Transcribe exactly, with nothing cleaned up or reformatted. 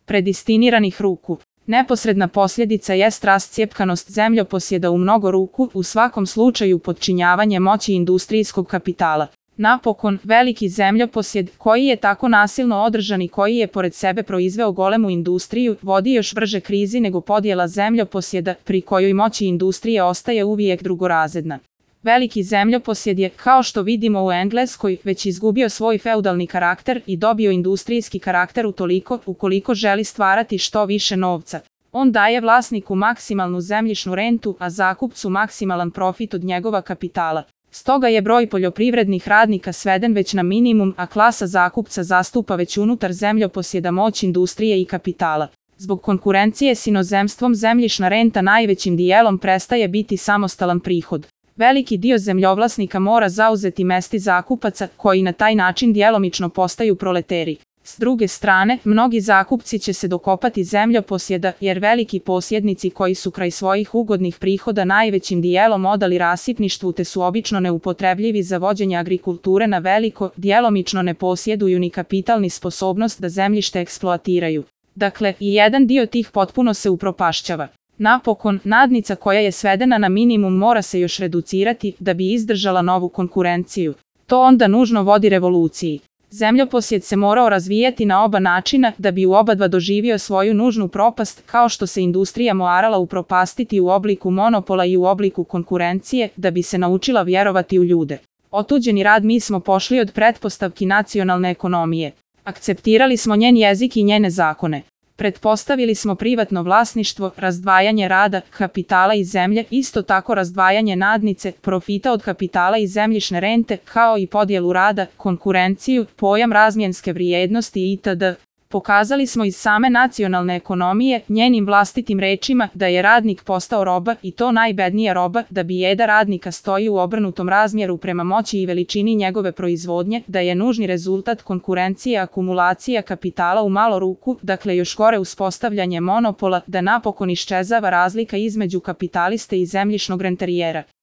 predestiniranih ruku. Neposredna posljedica jest rascjepkanost zemljoposjeda u mnogo ruku, u svakom slučaju podčinjavanje moći industrijskog kapitala. Napokon, veliki zemljoposjed, koji je tako nasilno održan i koji je pored sebe proizveo golemu industriju, vodi još brže krizi nego podjela zemljoposjeda, pri kojoj moći industrije ostaje uvijek drugorazredna. Veliki zemljoposjed je, kao što vidimo u Engleskoj, već izgubio svoj feudalni karakter i dobio industrijski karakter utoliko, ukoliko želi stvarati što više novca. On daje vlasniku maksimalnu zemljišnu rentu, a zakupcu maksimalan profit od njegova kapitala. Stoga je broj poljoprivrednih radnika sveden već na minimum, a klasa zakupca zastupa već unutar zemljoposjeda moć industrije i kapitala. Zbog konkurencije s inozemstvom zemljišna renta najvećim dijelom prestaje biti samostalan prihod. Veliki dio zemljovlasnika mora zauzeti mesti zakupaca, koji na taj način djelomično postaju proleteri. S druge strane, mnogi zakupci će se dokopati zemljoposjeda, jer veliki posjednici koji su kraj svojih ugodnih prihoda najvećim dijelom odali rasipništvu te su obično neupotrebljivi za vođenje agrikulture na veliko, djelomično ne posjeduju ni kapital ni sposobnost da zemljište eksploatiraju. Dakle, i jedan dio tih potpuno se upropašćava. Napokon, nadnica koja je svedena na minimum mora se još reducirati da bi izdržala novu konkurenciju. To onda nužno vodi revoluciji. Zemljoposjed se morao razvijati na oba načina da bi u obadva doživio svoju nužnu propast, kao što se industrija morala upropastiti u obliku monopola i u obliku konkurencije, da bi se naučila vjerovati u ljude. Otuđeni rad mi smo pošli od pretpostavki nacionalne ekonomije. Akceptirali smo njen jezik i njene zakone. Pretpostavili smo privatno vlasništvo, razdvajanje rada, kapitala i zemlje, isto tako razdvajanje nadnice, profita od kapitala i zemljišne rente, kao i podjelu rada, konkurenciju, pojam razmjenske vrijednosti itd. Pokazali smo iz same nacionalne ekonomije, njenim vlastitim rečima, da je radnik postao roba i to najbednija roba, da bijeda radnika stoji u obrnutom razmjeru prema moći i veličini njegove proizvodnje, da je nužni rezultat konkurencije akumulacija kapitala u malo ruku, dakle još gore uspostavljanje monopola, da napokon iščezava razlika između kapitaliste i zemljišnog renterijera.